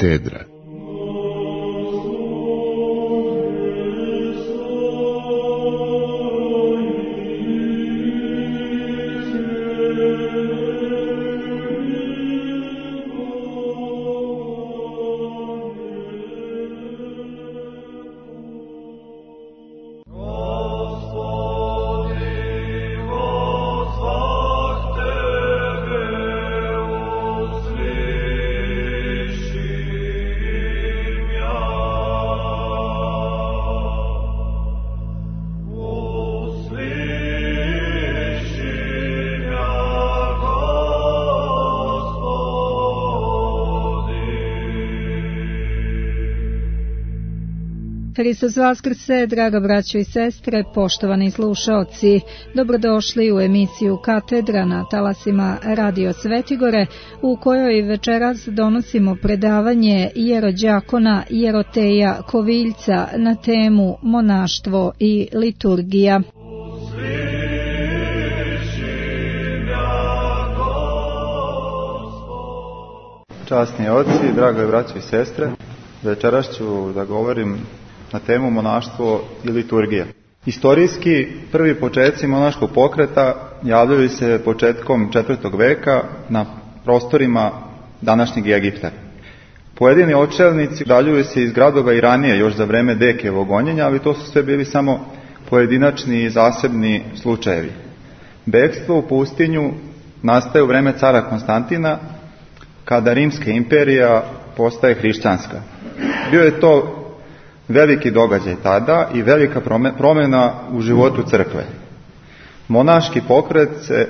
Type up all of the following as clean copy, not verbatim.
Katedra. Hristos vaskrse, draga braćo i sestre, poštovani slušaoci, dobrodošli u emisiju Katedra na talasima Radio Svetigore, u kojoj večeras donosimo predavanje jerođakona Jeroteja Koviljca na temu monaštvo i liturgija. Časni oci, drage braćo i sestre, večeras ću da govorim na temu monaštvo i liturgija. Istorijski, prvi početci monaškog pokreta javljaju se početkom 4. veka na prostorima današnjeg Egipta. Pojedini očelnici udaljuju se iz gradova i ranije, još za vreme Dekijevog gonjenja, ali to su sve bili samo pojedinačni i zasebni slučajevi. Bekstvo u pustinju nastaje u vreme cara Konstantina, kada Rimska imperija postaje hrišćanska. Bio je to veliki događaj tada i velika promjena u životu crkve. Monaški pokret se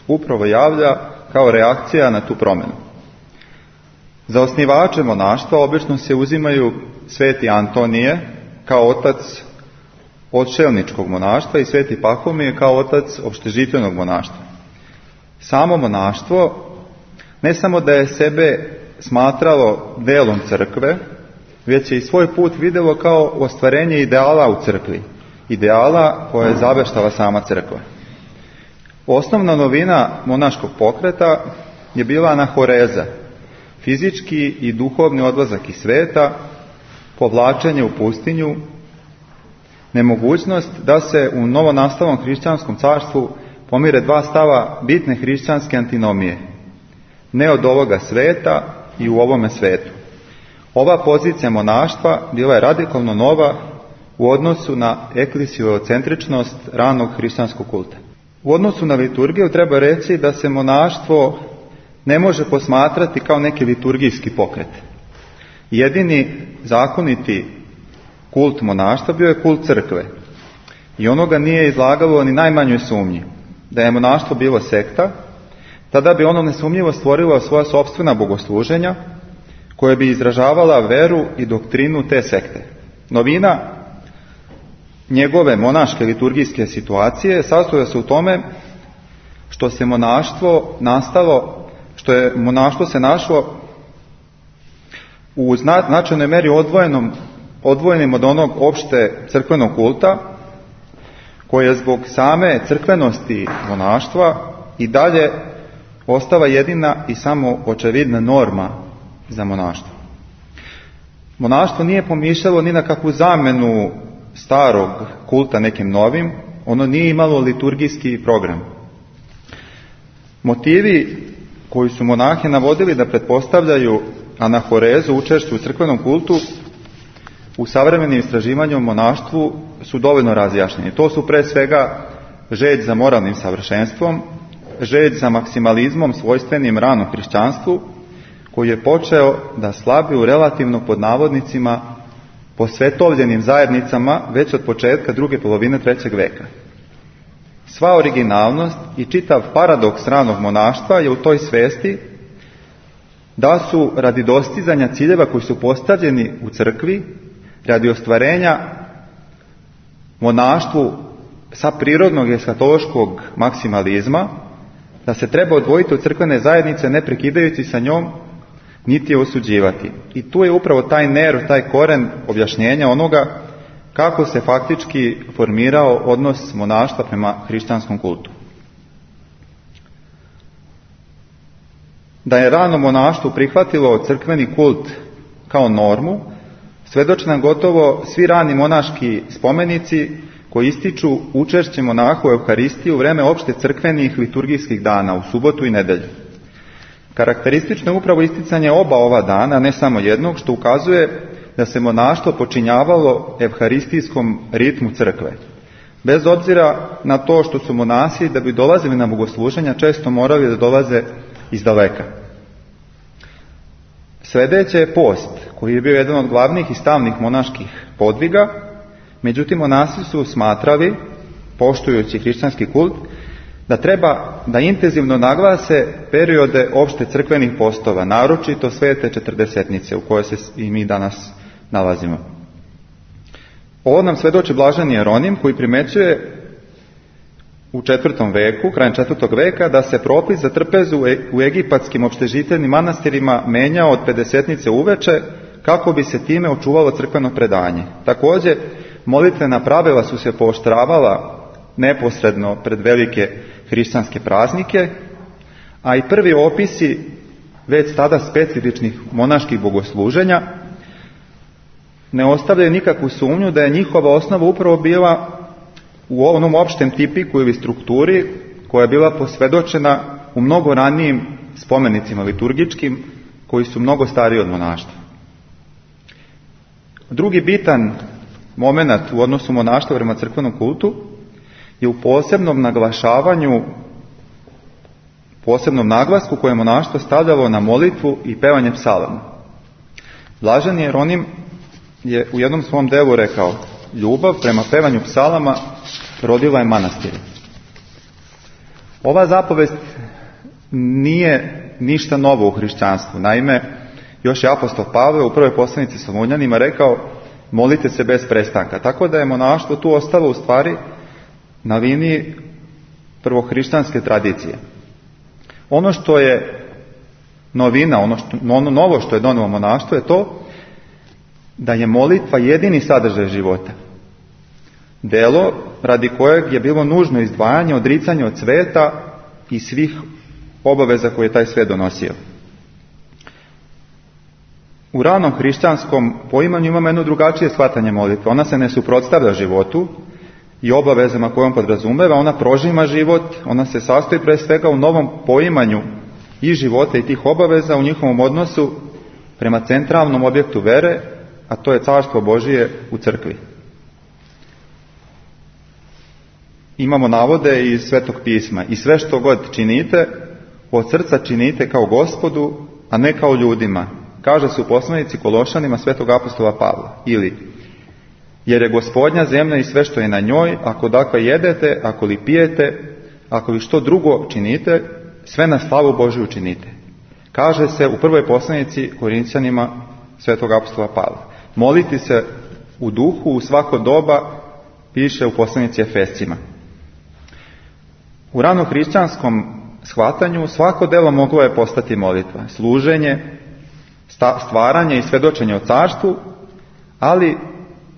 upravo javlja kao reakcija na tu promjenu. Za osnivače monaštva obično se uzimaju sveti Antonije kao otac odšelničkog monaštva i sveti Pahomije kao otac opštežitvenog monaštva. Samo monaštvo ne samo da je sebe smatralo delom crkve, već je i svoj put vidjelo kao ostvarenje ideala u crkvi, ideala koje je zaveštala sama crkva. Osnovna novina monaškog pokreta je bila anahoreza, fizički i duhovni odlazak iz sveta, povlačenje u pustinju, nemogućnost da se u novonastalom hrišćanskom carstvu pomire dva stava bitne hrišćanske antinomije, ne od ovoga sveta i u ovome svetu. Ova pozicija monaštva bila je radikalno nova u odnosu na eklesijocentričnost ranog hrišćanskog kulta. U odnosu na liturgiju treba reći da se monaštvo ne može posmatrati kao neki liturgijski pokret. Jedini zakoniti kult monaštva bio je kult crkve i ono ga nije izlagalo ni najmanjoj sumnji. Da je monaštvo bilo sekta, tada bi ono nesumnjivo stvorilo svoja sopstvena bogosluženja, koje bi izražavala veru i doktrinu te sekte. Novina njegove monaške liturgijske situacije sastoja se u tome što se monaštvo se našlo u značajnoj meri odvojenim od onog opšte crkvenog kulta, koje je zbog same crkvenosti monaštva i dalje ostala jedina i samo očevidna norma za monaštvo. Monaštvo nije pomišljalo ni na kakvu zamenu starog kulta nekim novim, ono nije imalo liturgijski program. Motivi koji su monahe navodili da pretpostavljaju anahorezu, učešću u crkvenom kultu, u savremenim istraživanjima o monaštvu su dovoljno razjašnjeni. To su pre svega želj za moralnim savršenstvom, želj za maksimalizmom svojstvenim ranom hrišćanstvu, koji je počeo da slabi u relativno pod navodnicima posvetovljenim zajednicama već od početka druge polovine 3. veka. Sva originalnost i čitav paradoks ranog monaštva je u toj svesti da su radi dostizanja ciljeva koji su postavljeni u crkvi, radi ostvarenja monaštvu sa prirodnog eskatološkog maksimalizma, da se treba odvojiti od crkvene zajednice ne prekidajući sa njom, niti je osuđivati. I tu je upravo taj nerv, taj koren objašnjenja onoga kako se faktički formirao odnos monaštva prema hrišćanskom kultu. Da je rano monaštvo prihvatilo crkveni kult kao normu, svedoče nam gotovo svi rani monaški spomenici koji ističu učešće monaha u Euharistiji u vreme opšte crkvenih liturgijskih dana, u subotu i nedelju. Karakteristično je upravo isticanje oba ova dana, ne samo jednog, što ukazuje da se monaštvo počinjavalo evharistijskom ritmu crkve. Bez obzira na to što su monasi, da bi dolazili na bogosluženja, često morali da dolaze iz daleka. Sledeće je post, koji je bio jedan od glavnih i stalnih monaških podviga. Međutim, monasi su smatrali, poštujući hrišćanski kult, da treba da intenzivno naglase periode opšte crkvenih postova, naročito svete četrdesetnice u kojoj se i mi danas nalazimo. Ovo nam svedoči blaženi Jeronim, koji primećuje u 4. veku, krajem 4. veka, da se propis za trpezu u egipatskim opštežiteljnim manastirima menjao od pedesetnice uveče, kako bi se time očuvalo crkveno predanje. Takođe, molitvena pravila su se pooštravala neposredno pred velike hrišćanske praznike, a i prvi opisi već tada specifičnih monaških bogosluženja ne ostavljaju nikakvu sumnju da je njihova osnova upravo bila u onom opštem tipiku ili strukturi koja je bila posvedočena u mnogo ranijim spomenicima liturgičkim koji su mnogo stariji od monaštva. Drugi bitan moment u odnosu monaštva prema crkvenom kultu je u posebnom naglašavanju, posebnom naglasku koje je monaštvo stavljalo na molitvu i pevanje psalama. Blaženi Jeronim je u jednom svom delu rekao: ljubav prema pevanju psalama rodila je manastir. Ova zapovest nije ništa novo u hrišćanstvu. Naime, još je apostol Pavle u prvoj poslanici Solunjanima rekao: molite se bez prestanka. Tako da je monaštvo tu ostalo u stvari na liniji prvohrišćanske tradicije. Ono što je novina, ono novo što je donelo monaštvo je to da je molitva jedini sadržaj života. Delo radi kojeg je bilo nužno izdvajanje, odricanje od sveta i svih obaveza koje je taj svet donosio. U ranom hrišćanskom poimanju imamo jedno drugačije shvatanje molitve. Ona se ne suprotstavlja životu i obavezama koje on podrazumeva, ona prožima život, ona se sastoji pre svega u novom poimanju i života i tih obaveza u njihovom odnosu prema centralnom objektu vere, a to je Carstvo Božije u crkvi. Imamo navode iz Svetog pisma: i sve što god činite, od srca činite kao Gospodu, a ne kao ljudima, kaže se u poslanici Kološanima Svetog apostola Pavla. Ili, jer je Gospodnja zemlja i sve što je na njoj, ako dakle jedete, ako li pijete, ako li što drugo činite, sve na slavu Božiju činite. Kaže se u prvoj poslanici Korinćanima Svetog apostola Pavla. Moliti se u duhu u svako doba, piše u poslanici Efescima. U ranohrišćanskom shvatanju svako delo moglo je postati molitva, služenje, stvaranje i svedočenje o carstvu, ali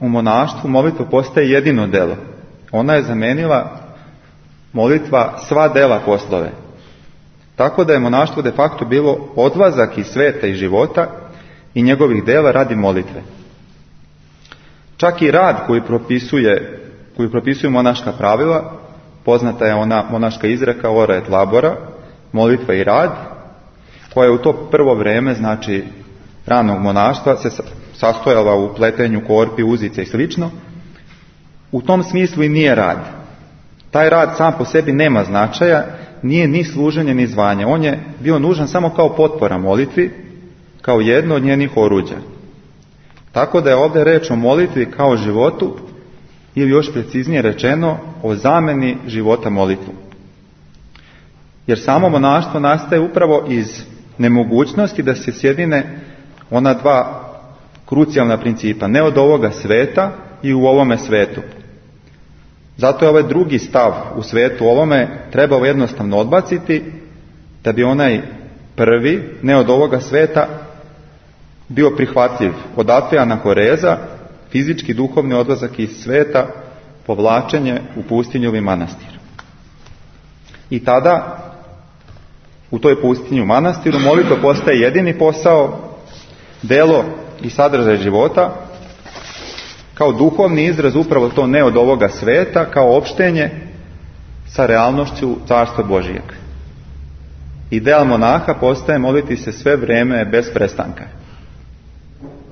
u monaštvu molitva postaje jedino delo. Ona je zamenila molitva sva dela poslove. Tako da je monaštvo de facto bilo odlazak iz sveta i života i njegovih dela radi molitve. Čak i rad koji propisuju monaška pravila, poznata je ona monaška izreka ora et labora, molitva i rad, koja je u to prvo vreme, znači ranog monaštva, se sastojala u pletenju korpi, uzice i slično. U tom smislu i nije rad. Taj rad sam po sebi nema značaja, nije ni služenje ni zvanje. On je bio nužan samo kao potpora molitvi, kao jedno od njenih oruđa. Tako da je ovdje reč o molitvi kao životu, ili još preciznije rečeno, o zameni života molitvom. Jer samo monaštvo nastaje upravo iz nemogućnosti da se sjedine ona dva krucijalna principa, ne od ovoga sveta i u ovome svetu. Zato je ovaj drugi stav u svetu ovome trebao jednostavno odbaciti, da bi onaj prvi, ne od ovoga sveta, bio prihvatljiv. Odatle anahoreza, fizički duhovni odlazak iz sveta, povlačenje u pustinju ili manastir. I tada, u toj pustinju manastiru, molitva postaje jedini posao, delo i sadržaj života, kao duhovni izraz upravo to ne od ovoga sveta, kao opštenje sa realnošću Carstva Božijeg. Ideal monaha postaje moliti se sve vrijeme bez prestanka.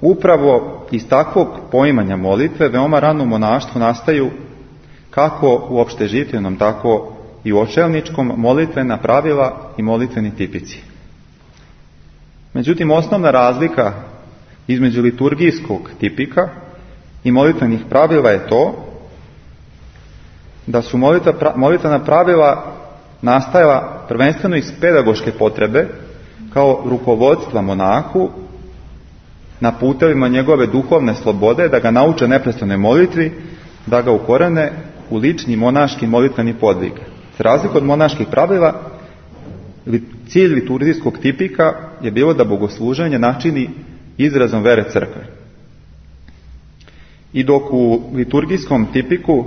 Upravo iz takvog poimanja molitve veoma rano u monaštvu nastaju kako u opšteživljenom, tako i u očelničkom molitvena pravila i molitveni tipici. Međutim, osnovna razlika između liturgijskog tipika i molitvenih pravila je to da su molitvena pravila nastajala prvenstveno iz pedagoške potrebe kao rukovodstva monahu na putevima njegove duhovne slobode, da ga nauče neprestanoj molitvi, da ga ukorene u lični monaški molitveni podvig. Za razliku od monaških pravila, cilj liturgijskog tipika je bilo da bogosluženje načini izrazom vere crkve. I dok u liturgijskom tipiku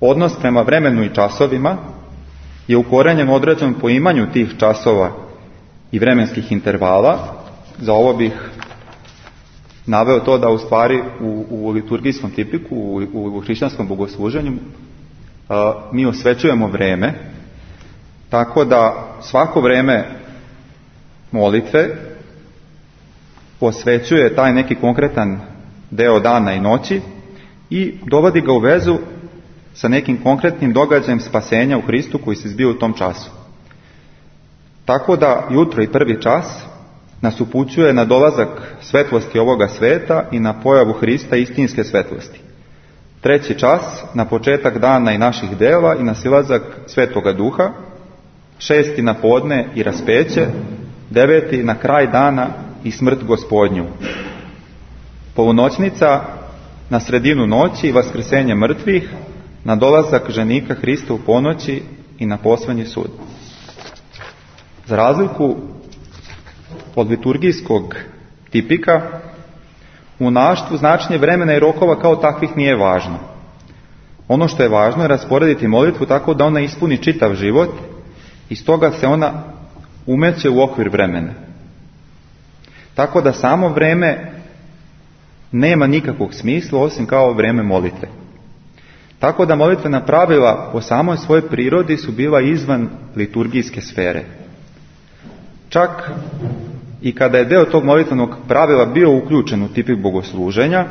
odnos prema vremenu i časovima je ukorenjen određenom poimanju tih časova i vremenskih intervala, za ovo bih naveo to da u stvari u liturgijskom tipiku, u hrišćanskom bogosluženju, mi osvećujemo vreme, tako da svako vreme molitve osvećuje taj neki konkretan deo dana i noći i dovodi ga u vezu sa nekim konkretnim događajem spasenja u Hristu koji se zbio u tom času. Tako da jutro i prvi čas nas upućuje na dolazak svetlosti ovoga sveta i na pojavu Hrista istinske svetlosti. Treći čas na početak dana i naših dela i na silazak Svetoga Duha. Šesti na podne i raspeće. Deveti na kraj dana i smrt Gospodnju. Polunoćnica na sredinu noći i vaskrsenje mrtvih, na dolazak ženika Hrista u ponoći i na poslednji sud. Za razliku od liturgijskog tipika, u monaštvu značenje vremena i rokova kao takvih nije važno. Ono što je važno je rasporediti molitvu tako da ona ispuni čitav život i stoga se ona umeće u okvir vremena. Tako da samo vreme nema nikakvog smisla osim kao vreme molitve. Tako da molitvena pravila po samoj svojoj prirodi su bila izvan liturgijske sfere. Čak i kada je deo tog molitvenog pravila bio uključen u tipik bogosluženja,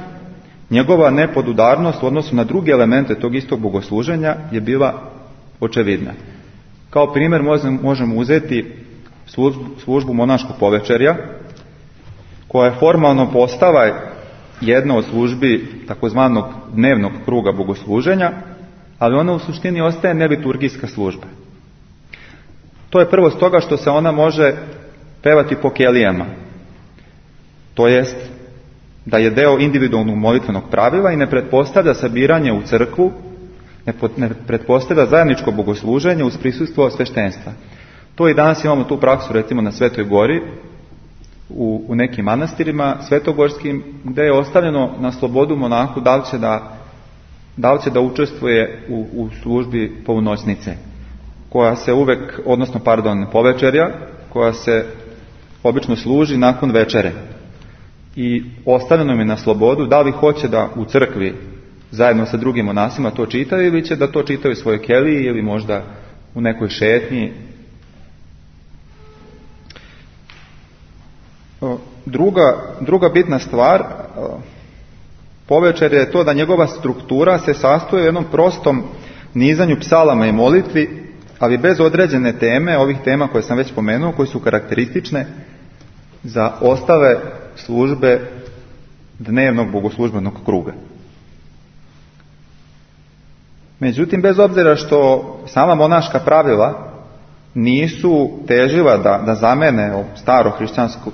njegova nepodudarnost u odnosu na druge elemente tog istog bogosluženja je bila očevidna. Kao primjer možemo uzeti službu monaškog povečerja, koja je formalno postava jedna od službi takozvanog dnevnog kruga bogosluženja, ali ona u suštini ostaje neliturgijska služba. To je prvo stoga što se ona može pevati po kelijama, to jest da je deo individualnog molitvenog pravila i ne pretpostavlja sabiranje u crkvu, ne pretpostavlja zajedničko bogosluženje uz prisustvo sveštenstva. To i danas imamo tu praksu recimo na Svetoj Gori, u nekim manastirima svetogorskim, gdje je ostavljeno na slobodu monahu da li će da učestvuje u službi polunoćnice, koja se povečerja, koja se obično služi nakon večere. I ostavljeno mi je na slobodu da li hoće da u crkvi zajedno sa drugim monasima to čitaju ili će da to čitaju u svojoj keliji ili možda u nekoj šetnji. Druga bitna stvar povečerja je to da njegova struktura se sastoji u jednom prostom nizanju psalama i molitvi, ali bez određene teme, ovih tema koje sam već pomenuo, koje su karakteristične za ostale službe dnevnog bogoslužbenog kruga. Međutim, bez obzira što sama monaška pravila nisu težila da zamene staro hrišćansko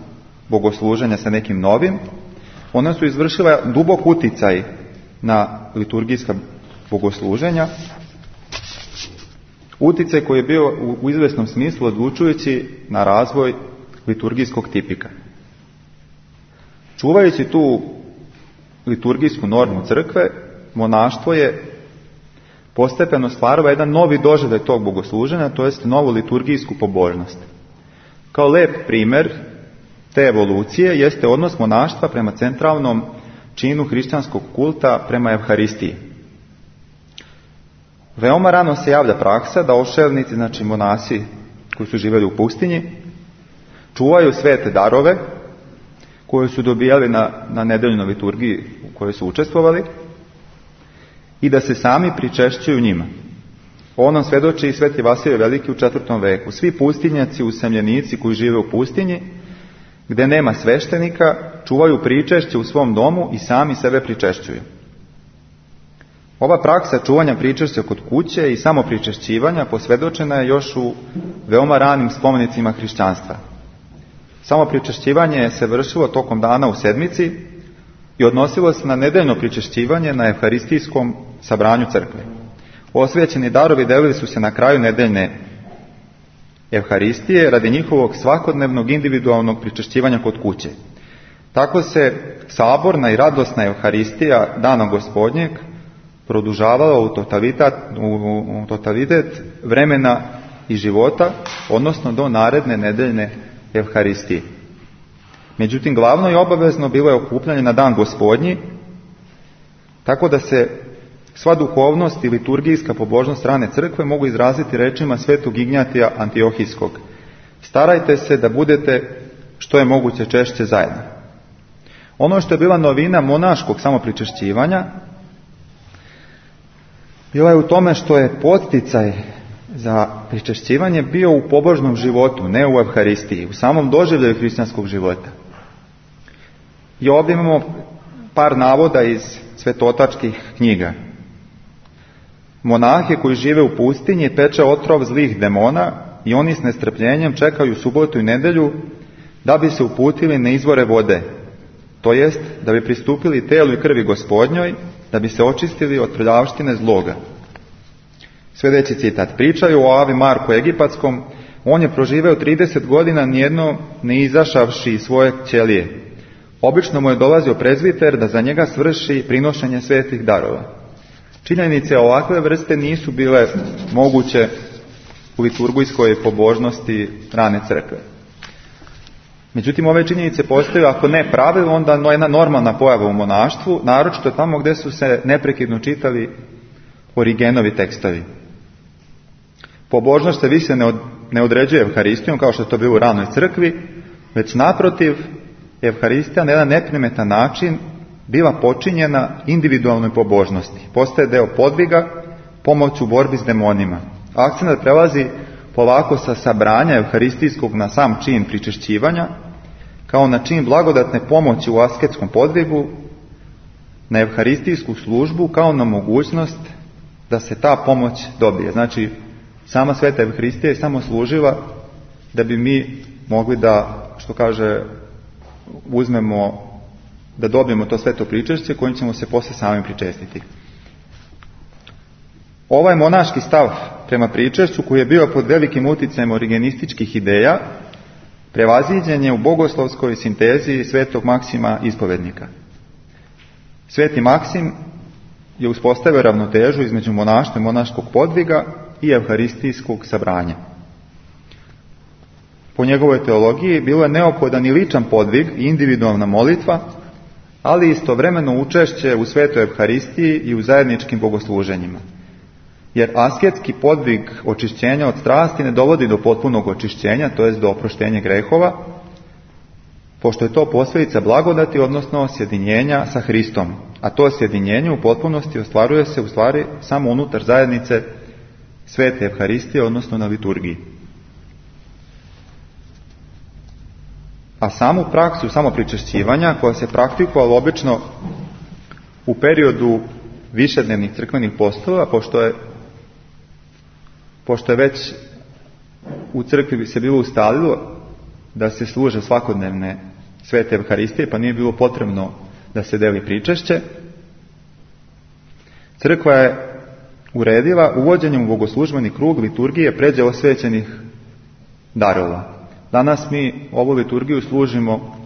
bogosluženje sa nekim novim, ona su izvršila dubok uticaj na liturgijska bogosluženja, uticaj koji je bio u izvesnom smislu odlučujući na razvoj liturgijskog tipika. Čuvajući tu liturgijsku normu crkve, monaštvo je postepeno stvaralo jedan novi doživljaj tog bogosluženja, to jest novu liturgijsku pobožnost. Kao lep primjer te evolucije jeste odnos monaštva prema centralnom činu hrišćanskog kulta, prema Evharistiji. Veoma rano se javlja praksa da ošelnici, znači monasi koji su živjeli u pustinji, čuvaju svete darove koje su dobijali na nedeljnoj liturgiji u kojoj su učestvovali i da se sami pričešćuju njima. O nam svedoči i sveti Vasilije Veliki u 4. veku. Svi pustinjaci, usamljenici koji žive u pustinji, gdje nema sveštenika, čuvaju pričešće u svom domu i sami sebe pričešćuju. Ova praksa čuvanja pričešća kod kuće i samo pričešćivanja posvjedočena je još u veoma ranim spomenicima hrišćanstva. Samo pričešćivanje se vršilo tokom dana u sedmici i odnosilo se na nedeljno pričešćivanje na evharistijskom sabranju crkve. Osvećeni darovi delili su se na kraju nedeljne evharistije radi njihovog svakodnevnog individualnog pričešćivanja kod kuće. Tako se saborna i radosna evharistija dana Gospodnjeg produžavala u totalitet vremena i života, odnosno do naredne nedeljne evharistije. Međutim, glavno i obavezno bilo je okupljanje na dan Gospodnji, tako da se sva duhovnost i liturgijska pobožnost strane crkve mogu izraziti rečima svetog Ignjatija Antiohijskog. Starajte se da budete što je moguće češće zajedno. Ono što je bila novina monaškog samopričešćivanja bila je u tome što je podsticaj za pričešćivanje bio u pobožnom životu, ne u evharistiji, u samom doživljaju hrišćanskog života. I ovdje imamo par navoda iz svetotačkih knjiga. Monahe koji žive u pustinji peče otrov zlih demona i oni s nestrpljenjem čekaju subotu i nedelju da bi se uputili na izvore vode, to jest da bi pristupili telu i krvi Gospodnjoj, da bi se očistili od prljavštine zloga. Sljedeći citat. Pričaju o Avi Marku Egipatskom, on je proživeo 30 godina nijedno ne izašavši iz svoje ćelije. Obično mu je dolazio prezbiter da za njega svrši prinošenje svetih darova. Činjenice ovakve vrste nisu bile moguće u liturgijskoj pobožnosti rane crkve. Međutim, ove činjenice postaju, ako ne pravilo, onda jedna normalna pojava u monaštvu, naročito tamo gdje su se neprekidno čitali Origenovi tekstovi. Pobožnost se više ne određuje evharistijom, kao što je to bilo u ranoj crkvi, već naprotiv, evharistija na jedan neprimetan način bila počinjena individualnoj pobožnosti. Postaje deo podviga, pomoć u borbi s demonima. Akcenat prelazi polako sa sabranja evharistijskog na sam čin pričešćivanja, kao na čin blagodatne pomoći u asketskom podvigu, na evharistijsku službu kao na mogućnost da se ta pomoć dobije. Znači, sama sveta evharistija je samo služila da bi mi mogli da, što kaže, uzmemo, da dobijemo to sveto pričešće kojim ćemo se poslije sami pričestiti. Ovaj monaški stav prema pričešću, koji je bio pod velikim uticajem origenističkih ideja, prevaziđen je u bogoslovskoj sinteziji svetog Maksima ispovednika. Sveti Maksim je uspostavio ravnotežu između monaštva i monaškog podviga i evharistijskog sabranja. Po njegovoj teologiji bilo je neophodan i ličan podvig i individualna molitva, ali istovremeno učešće u svetoj evharistiji i u zajedničkim bogosluženjima. Jer asketski podvig očišćenja od strasti ne dovodi do potpunog očišćenja, to jest do oproštenja grehova, pošto je to posljedica blagodati, odnosno sjedinjenja sa Hristom. A to sjedinjenje u potpunosti ostvaruje se u stvari samo unutar zajednice svete evharistije, odnosno na liturgiji. A samu praksu samopričešćivanja, koja se praktikovala obično u periodu višednevnih crkvenih postova, pošto je već u crkvi se bilo ustalilo da se služe svakodnevne svete evharistije, pa nije bilo potrebno da se deli pričešće, crkva je uredila uvođenjem u bogoslužbeni krug liturgije pređe osvećenih darova. Danas mi ovu liturgiju služimo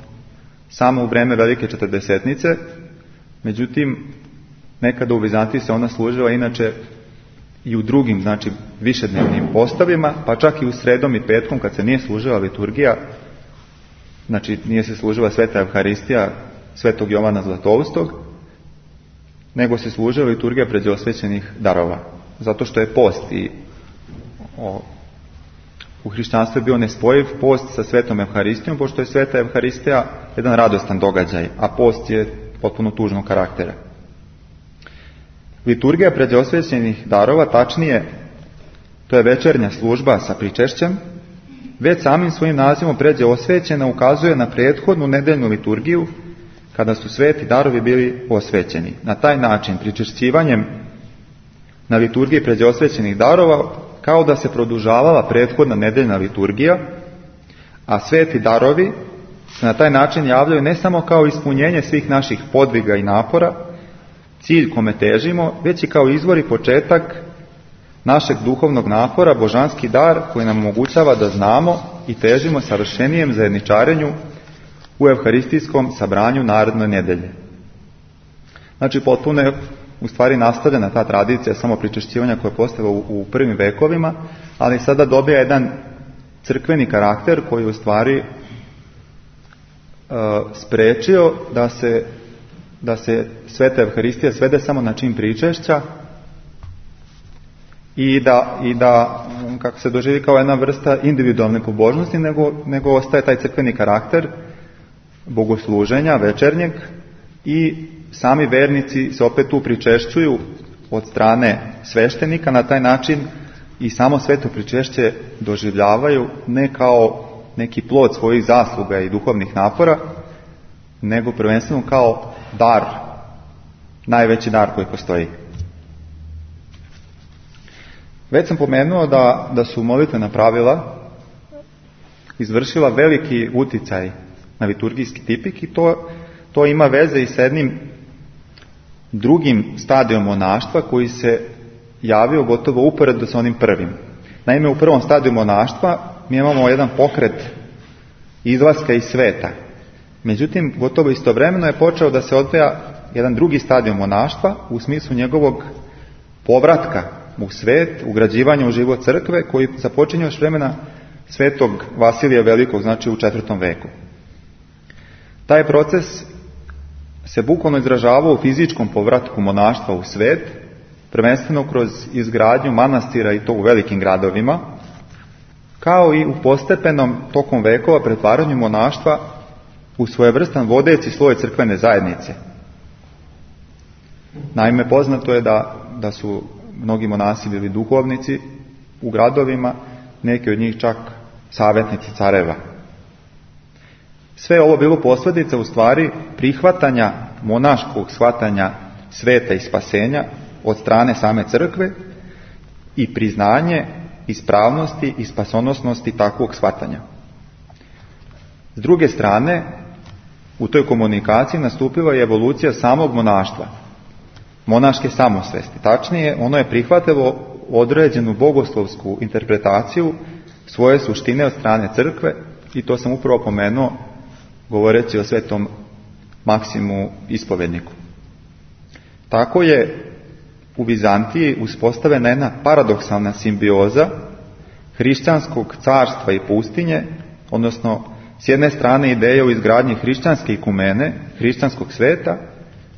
samo u vreme Velike Četrdesetnice, međutim, nekada u Vizantiji se ona služila inače i u drugim, znači višednevnim postavima, pa čak i u sredom i petkom kad se nije služila liturgija, znači nije se služila sveta Evharistija svetog Jovana Zlatoustog, nego se služila liturgija pređeosvećenih darova. Zato što je post i u hrišćanstvu je bio nespojiv post sa svetom Evharistijom, pošto je sveta Evharistija jedan radostan događaj, a post je potpuno tužnog karaktera. Liturgija pređeosvećenih darova, tačnije, to je večernja služba sa pričešćem, već samim svojim nazivom pređeosvećena ukazuje na prethodnu nedeljnu liturgiju, kada su sveti darovi bili osvećeni. Na taj način, pričešćivanjem na liturgiji pređeosvećenih darova, kao da se produžavala prethodna nedeljna liturgija, a sveti darovi se na taj način javljaju ne samo kao ispunjenje svih naših podviga i napora, cilj kome težimo, već i kao izvor i početak našeg duhovnog napora, božanski dar koji nam omogućava da znamo i težimo savršenijem zajedničarenju u evharistijskom sabranju naredne nedelje. Znači, potpuno je u stvari nastavljena ta tradicija samopričešćivanja koja je postojala u prvim vekovima, ali sada dobija jedan crkveni karakter koji je u stvari sprečio da se sveta Evharistija svede samo na čin pričešća i da kako se doživi kao jedna vrsta individualne pobožnosti, nego ostaje taj crkveni karakter bogosluženja večernjeg i sami vernici se opet tu pričešćuju od strane sveštenika. Na taj način i samo sveto pričešće doživljavaju ne kao neki plod svojih zasluga i duhovnih napora, nego prvenstveno kao dar, najveći dar koji postoji. Već sam pomenuo da su molitvena pravila izvršila veliki uticaj na liturgijski tipik i to ima veze i sa jednim drugim stadijom monaštva koji se javio gotovo uporedo sa onim prvim. Naime, u prvom stadiju monaštva mi imamo jedan pokret izlaska iz sveta. Međutim, gotovo istovremeno je počeo da se odvija jedan drugi stadij monaštva u smislu njegovog povratka u svet, ugrađivanja u život crkve, koji započinje još vremena svetog Vasilija Velikog, znači u 4. veku. Taj proces se bukvalno izražavao u fizičkom povratku monaštva u svet, prvenstveno kroz izgradnju manastira i to u velikim gradovima, kao i u postepenom tokom vekova pretvaranju monaštva u svojevrstan vodeći sloj crkvene zajednice. Naime, poznato je da su mnogi monasi bili duhovnici u gradovima, neki od njih čak savjetnici careva. Sve ovo bilo posljedica u stvari prihvatanja monaškog shvatanja sveta i spasenja od strane same crkve i priznanje ispravnosti i spasonosnosti takvog shvatanja. S druge strane, u toj komunikaciji nastupila je evolucija samog monaštva, monaške samosvesti. Tačnije, ono je prihvatilo određenu bogoslovsku interpretaciju svoje suštine od strane crkve i to sam upravo pomenuo govoreći o svetom Maksimu ispovedniku. Tako je u Vizantiji uspostavljena jedna paradoksalna simbioza hrišćanskog carstva i pustinje, odnosno s jedne strane ideje o izgradnji hrišćanske ikumene, hrišćanskog sveta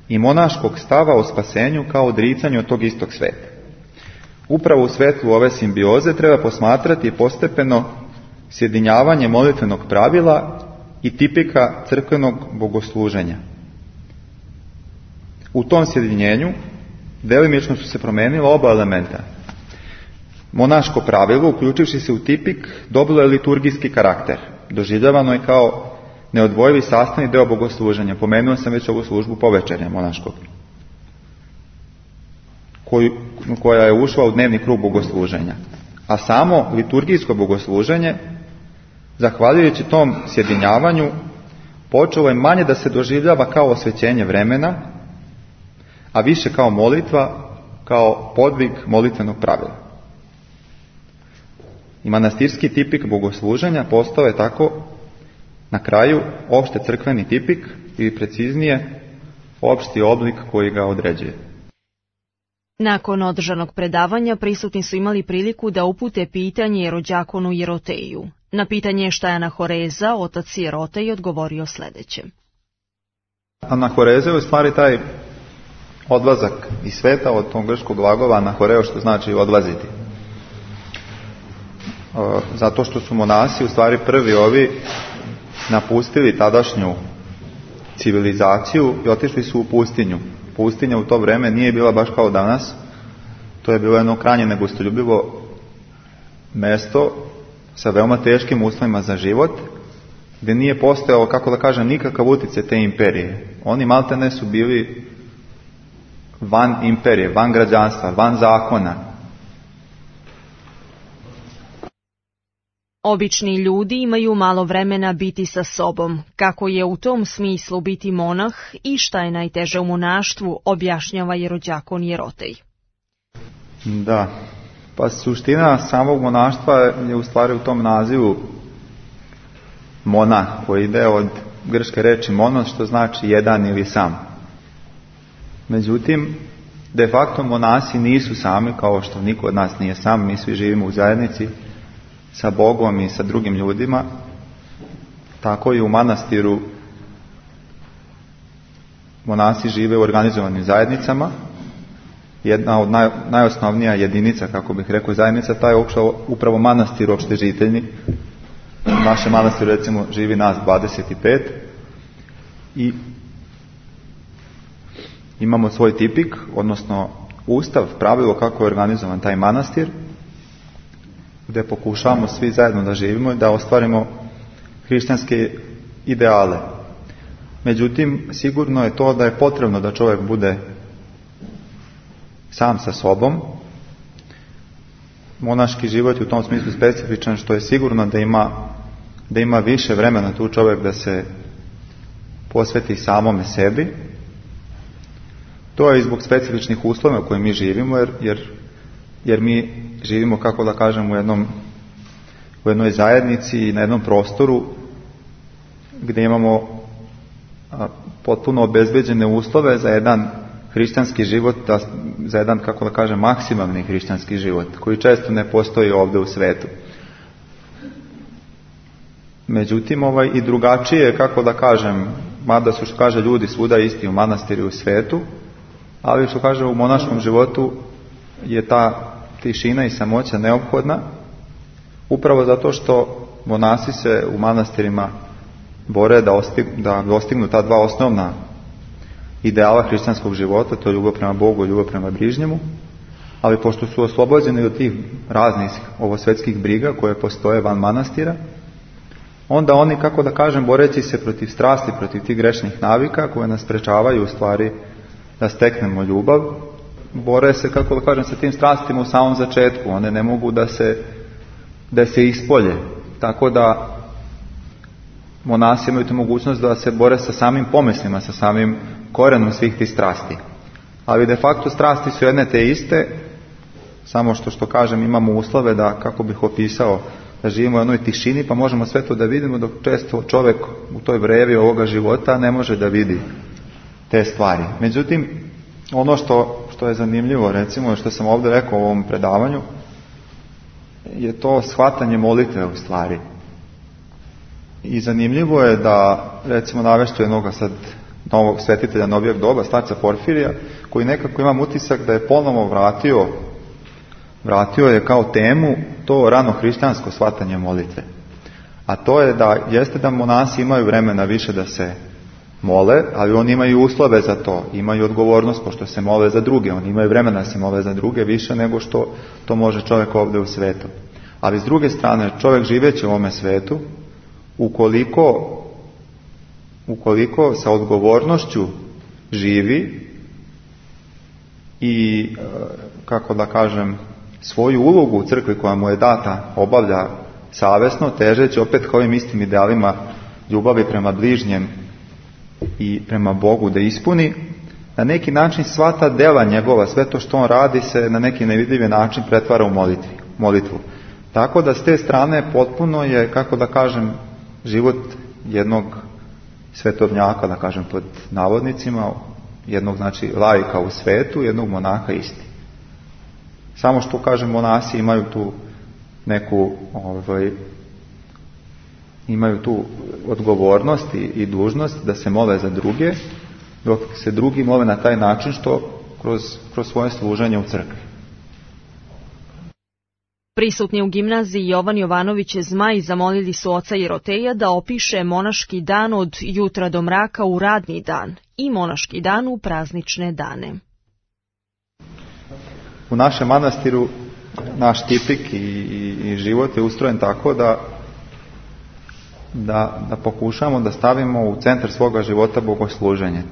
i monaškog stava o spasenju kao odricanju od tog istog sveta. Upravo u svetlu ove simbioze treba posmatrati postepeno sjedinjavanje molitvenog pravila i tipika crkvenog bogosluženja. U tom sjedinjenju delimično su se promijenila oba elementa. Monaško pravilo, uključivši se u tipik, dobilo je liturgijski karakter. Doživljavano je kao neodvojivi sastavni deo bogosluženja. Pomenuo sam već ovu službu povečernja monaškog, koja je ušla u dnevni krug bogosluženja. A samo liturgijsko bogosluženje, zahvaljujući tom sjedinjavanju, počelo je manje da se doživljava kao osvećenje vremena, a više kao molitva, kao podvig molitvenog pravila. I manastirski tipik bogosluženja postao je tako na kraju opšte crkveni tipik ili preciznije opšti oblik koji ga određuje. Nakon održanog predavanja prisutni su imali priliku da upute pitanje jerođakonu Jeroteju. Na pitanje šta je anahoreza, otac Sirotej odgovorio sljedeće. Anahoreza je u stvari taj odlazak iz sveta, od tog grčkog glagola anahoreo, što znači odlaziti. Zato što su monasi u stvari prvi ovi napustili tadašnju civilizaciju i otišli su u pustinju. Pustinja u to vreme nije bila baš kao danas, to je bilo jedno krajnje negostoljubivo mesto sa veoma teškim uslovima za život, gdje nije postojao, kako da kažem, nikakav utjecaj te imperije. Oni maltene su bili van imperije, van građanstva, van zakona. Obični ljudi imaju malo vremena biti sa sobom. Kako je u tom smislu biti monah i šta je najteže u monaštvu, objašnjava Jerođakon Jerotej. Da, pa suština samog monaštva je u stvari u tom nazivu monah, koji ide od grčke reči monos, što znači jedan ili sam. Međutim, de facto monasi nisu sami, kao što niko od nas nije sam, mi svi živimo u zajednici sa Bogom i sa drugim ljudima. Tako i u manastiru monasi žive u organizovanim zajednicama. Jedna od najosnovnija jedinica, kako bih rekao, zajednica, taj je upravo manastir opštežiteljni. U našem manastiru recimo živi nas 25 i imamo svoj tipik, odnosno ustav, pravilo kako je organizovan taj manastir, gdje pokušavamo svi zajedno da živimo i da ostvarimo hrišćanske ideale. Međutim, sigurno je to da je potrebno da čovjek bude sam sa sobom. Monaški život je u tom smislu specifičan, što je sigurno da ima više vremena tu čovjek da se posveti samome sebi. To je i zbog specifičnih uslova u kojima mi živimo, jer mi živimo, kako da kažem, u jednoj zajednici i na jednom prostoru gdje imamo potpuno obezbeđene uslove za jedan hrišćanski život, za jedan, kako da kažem, maksimalni hrišćanski život, koji često ne postoji ovdje u svetu. Međutim, i drugačije, kako da kažem, mada su, što kaže, ljudi svuda isti u manastiru i u svetu, ali što kaže, u monaškom životu je ta tišina i samoća neophodna, upravo zato što monasi se u manastirima bore da dostignu ta dva osnovna ideala hrišćanskog života, to je ljubav prema Bogu i ljubav prema bližnjemu, ali pošto su oslobođeni od tih raznih ovosvetskih briga koje postoje van manastira, onda oni, kako da kažem, boreći se protiv strasti, protiv tih grešnih navika koje nas sprečavaju u stvari da steknemo ljubav, bore se, kako da kažem, sa tim strastima u samom začetku. One ne mogu da se ispolje. Tako da monasi imaju tu mogućnost da se bore sa samim pomislima, sa samim korenom svih tih strasti. Ali de facto strasti su jedne te iste, samo što kažem, imamo uslove da, kako bih opisao, da živimo u jednoj tišini, pa možemo sve to da vidimo, dok često čovjek u toj vrevi ovoga života ne može da vidi te stvari. Međutim, ono što je zanimljivo, recimo, što sam ovdje rekao u ovom predavanju, je to shvatanje molitve u stvari. I zanimljivo je da, recimo, navešću jednog sad novog svetitelja novijeg doba, starca Porfirija, koji nekako imam utisak da je ponovo vratio je kao temu to rano hrišćansko shvatanje molitve. A to je da monasi imaju vremena više da se mole, ali oni imaju uslove za to, imaju odgovornost pošto se mole za druge, oni imaju vremena da se mole za druge više nego što to može čovjek ovdje u svetu. Ali s druge strane, čovjek živeći u ovome svetu, ukoliko sa odgovornošću živi i, kako da kažem, svoju ulogu u crkvi koja mu je data obavlja savjesno, težeći opet k ovim istim idealima ljubavi prema bližnjem i prema Bogu da ispuni, na neki način sva ta dela njegova, sve to što on radi se na neki nevidljivi način pretvara u molitvu. Tako da s te strane potpuno je, kako da kažem, život jednog svetovnjaka, da kažem pod navodnicima, jednog, znači, laika u svetu, jednog monaha isti. Samo što, kažem, monasi imaju tu neku imaju tu odgovornost i dužnost da se mole za druge, dok se drugi mole na taj način što kroz svoje služenje u crkvi. Prisutni u gimnaziji Jovan Jovanović Zmaj zamolili su oca Jeroteja da opiše monaški dan od jutra do mraka u radni dan i monaški dan u praznične dane. U našem manastiru naš tipik i život je ustrojen tako da pokušamo da stavimo u centar svoga života bogosluženje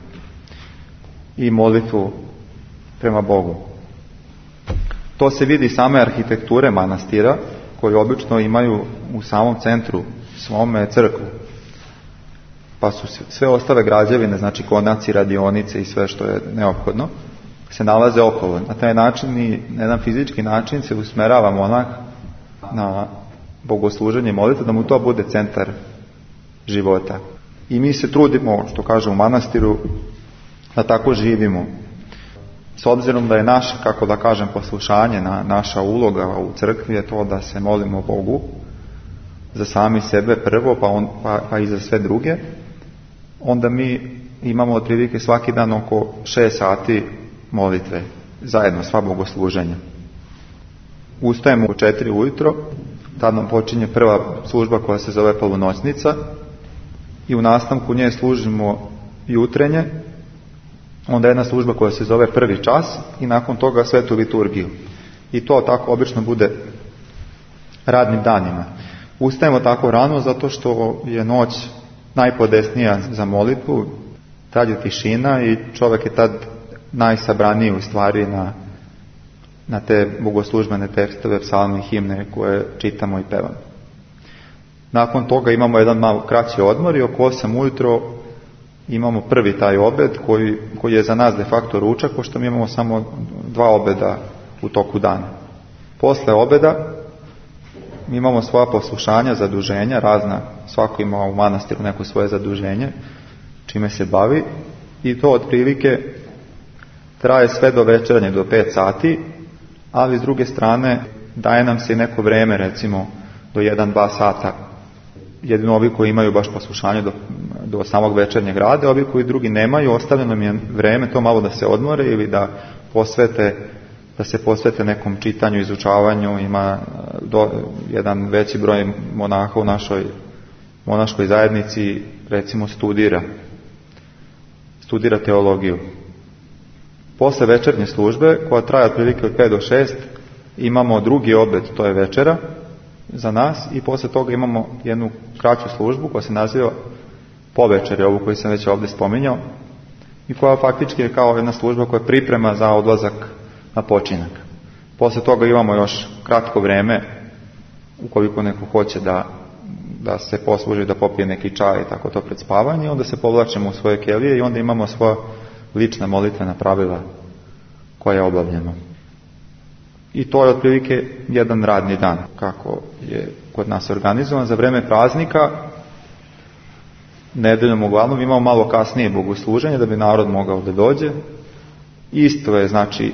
i molitvu prema Bogu. To se vidi same arhitekture manastira, koje obično imaju u samom centru svome crkvu. Pa su sve ostale građevine, znači konaci, radionice i sve što je neophodno, se nalaze okolo. Na taj način i na jedan fizički način se usmerava monah na bogosluženje i molitvu, da mu to bude centar života. I mi se trudimo, što kaže u manastiru, da tako živimo. S obzirom da je naše, kako da kažem, poslušanje, naša uloga u crkvi je to da se molimo Bogu za sami sebe prvo, pa i za sve druge, onda mi imamo otprilike svaki dan oko 6 sati molitve, zajedno sva bogosluženja. Ustajemo u 4 ujutro, tad nam počinje prva služba koja se zove polunoćnica i u nastavku nje služimo jutrenje, onda jedna služba koja se zove prvi čas i nakon toga svetu liturgiju. I to tako obično bude radnim danima. Ustajemo tako rano zato što je noć najpodesnija za molitvu, tad je tišina i čovjek je tad najsabraniji u stvari na te bogoslužbene tekstove, psalme i himne koje čitamo i pevamo. Nakon toga imamo jedan malo kraći odmor i oko 8 ujutro imamo prvi taj obed koji je za nas de facto ručak, pošto mi imamo samo 2 obeda u toku dana. Posle obeda mi imamo svoja poslušanja, zaduženja, razna, svako ima u manastiru neko svoje zaduženje, čime se bavi, i to otprilike traje sve do večernje, do 5 sati, ali s druge strane daje nam se i neko vreme, recimo do 1-2 sata. Jedino ovi koji imaju baš poslušanje do samog večernjeg rada, ovi koji drugi nemaju, ostavljeno im je vreme to malo da se odmore ili da se posvete nekom čitanju, izučavanju. Ima jedan veći broj monaha u našoj monaškoj zajednici, recimo studira teologiju. Posle večernje službe, koja traje otprilike od 5 do 6, imamo drugi obed, to je večera za nas, i posle toga imamo jednu kraću službu koja se naziva povečerje, ovu koju sam već ovdje spominjao, i koja faktički je kao jedna služba koja priprema za odlazak na počinak. Posle toga imamo još kratko vreme, ukoliko neko hoće da se posluži, da popije neki čaj i tako to pred spavanje, onda se povlačimo u svoje kelije i onda imamo svoja lična molitvena pravila koja obavljamo. I to je otprilike jedan radni dan, kako je kod nas organizovan. Za vreme praznika, nedeljom uglavnom, imamo malo kasnije bogosluženje da bi narod mogao da dođe. Isto je, znači,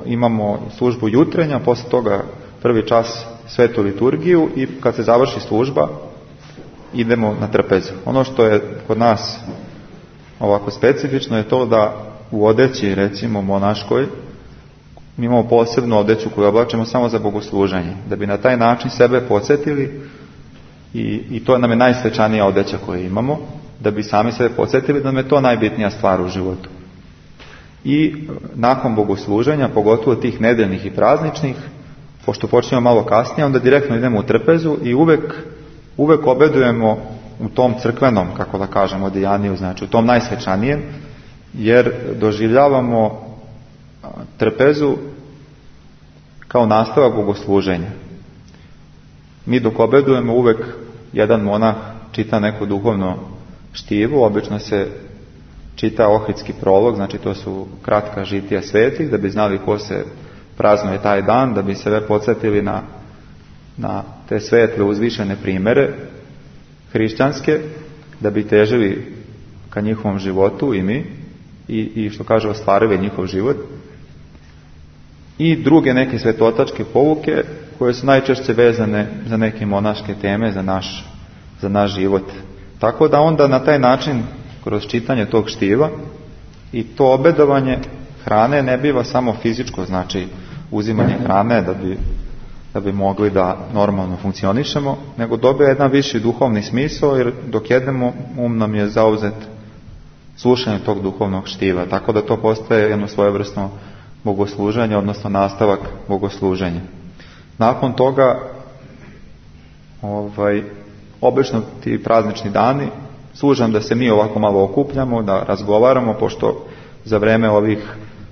imamo službu jutrenja, posle toga prvi čas svetu liturgiju i kad se završi služba idemo na trpezu. Ono što je kod nas ovako specifično je to da u odeći, recimo monaškoj, mi imamo posebnu odeću koju oblačimo samo za bogosluženje, da bi na taj način sebe podsjetili, i to nam je najsvečanija odeća koju imamo, da bi sami sebe podsjetili da nam je to najbitnija stvar u životu. I nakon bogosluženja, pogotovo tih nedeljnih i prazničnih, pošto počnemo malo kasnije, onda direktno idemo u trpezu i uvek obedujemo u tom crkvenom, kako da kažemo, odijaniju, znači u tom najsvečanijem, jer doživljavamo trpezu kao nastavak bogosluženja. Mi dok obedujemo, uvek jedan monah čita neko duhovno štivo, obično se čita ohridski prolog, znači to su kratka žitija svetih, da bi znali ko se praznuje taj dan, da bi se podsjetili na te svetle uzvišene primere hrišćanske, da bi težili ka njihovom životu i mi, i što kaže ostvarili njihov život. I druge neke svetotačke pouke koje su najčešće vezane za neke monaške teme, za naš za naš život. Tako da onda na taj način, kroz čitanje tog štiva i to obedovanje hrane ne biva samo fizičko, znači uzimanje hrane da bi mogli da normalno funkcionišemo, nego dobija jedan viši duhovni smisao, jer dok jedemo nam je zauzet slušanje tog duhovnog štiva, tako da to postaje jedno svojevrsno bogosluženje, odnosno nastavak bogosluženja. Nakon toga obično ti praznični dani služam da se mi ovako malo okupljamo, da razgovaramo, pošto za vreme ovih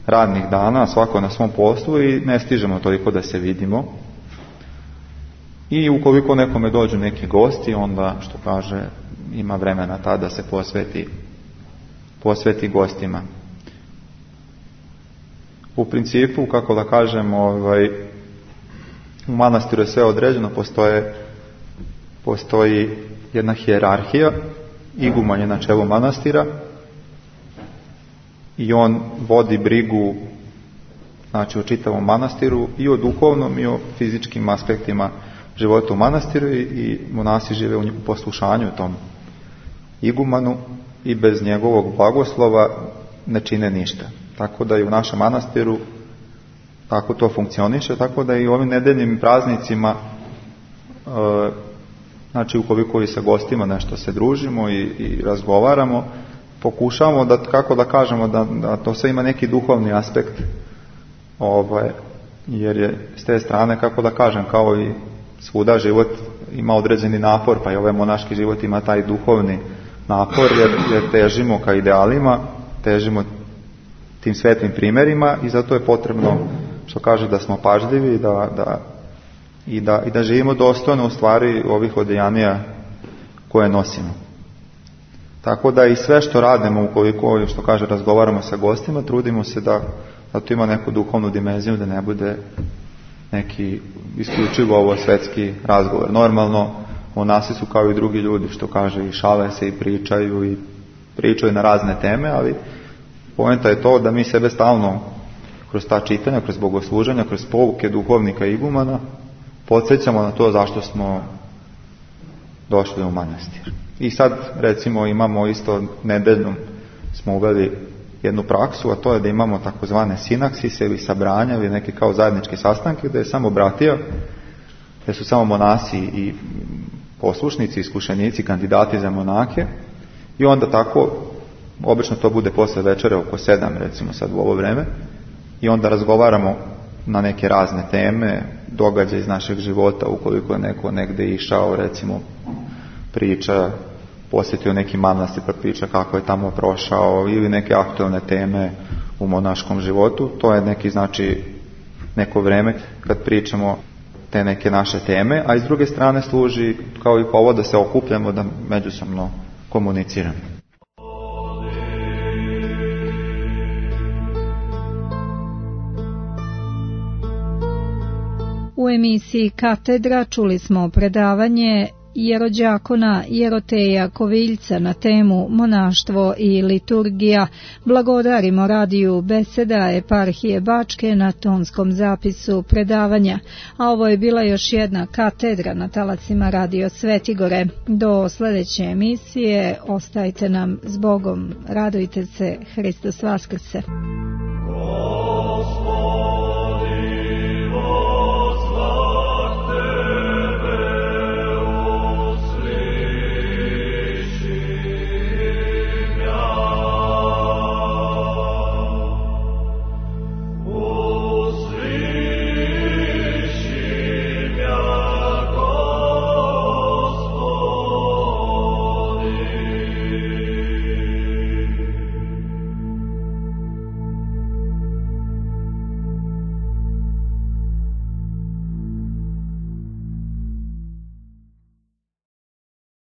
radnih dana svako na svom poslu i ne stižemo toliko da se vidimo. I ukoliko nekome dođu neki gosti, onda, što kaže, ima vremena tada da se posveti gostima. U principu, kako da kažem, u manastiru je sve određeno, postoji jedna hijerarhija, iguman je na čelu manastira i on vodi brigu, znači, o čitavom manastiru i o duhovnom i o fizičkim aspektima života u manastiru i monasi žive u poslušanju tom igumanu i bez njegovog blagoslova ne čine ništa. Tako da i u našem manastiru tako to funkcioniše, tako da i u ovim nedeljnim praznicima, znači ukoliko i sa gostima nešto se družimo i razgovaramo, pokušavamo da, kako da kažemo, da to sve ima neki duhovni aspekt, jer je s te strane, kako da kažem, kao i svuda život ima određeni napor, pa i ovaj monaški život ima taj duhovni napor, jer težimo ka idealima, težimo tim svetlim primjerima i zato je potrebno, što kaže, da smo pažljivi i da živimo dostojno u stvari ovih odejanija koje nosimo. Tako da i sve što radimo, ukoliko, što kaže, razgovaramo sa gostima, trudimo se da to ima neku duhovnu dimenziju, da ne bude neki isključivo ovo svetski razgovor. Normalno, monasi su kao i drugi ljudi, što kaže, i šale se i pričaju na razne teme, ali poenta je to da mi sebe stalno kroz ta čitanja, kroz bogosluženja, kroz pouke duhovnika i igumana podsjećamo na to zašto smo došli u manastir. I sad, recimo, imamo isto nedeljnom smo uveli jednu praksu, a to je da imamo takozvane sinaksise ili sabranja ili neke kao zajedničke sastanke, da je samo bratija, da su samo monasi i poslušnici, iskušenici, kandidati za monake, i onda tako, obično to bude posle večere oko 7, recimo sad u ovo vreme, i onda razgovaramo na neke razne teme, događaje iz našeg života, ukoliko je neko negde išao, recimo priča, posjetio neki manastir pa priča kako je tamo prošao, ili neke aktualne teme u monaškom životu. To je neki, znači, neko vreme kad pričamo te neke naše teme, a iz druge strane služi kao i povod da se okupljamo, da međusobno komuniciramo. U emisiji Katedra čuli smo predavanje jerođakona Jeroteja Koviljca na temu monaštvo i liturgija. Blagodarimo radiju Beseda eparhije Bačke na tonskom zapisu predavanja. A ovo je bila još jedna katedra na talacima Radio Svetigore. Do sljedeće emisije ostajte nam s Bogom. Radujte se, Hristos Vaskrse.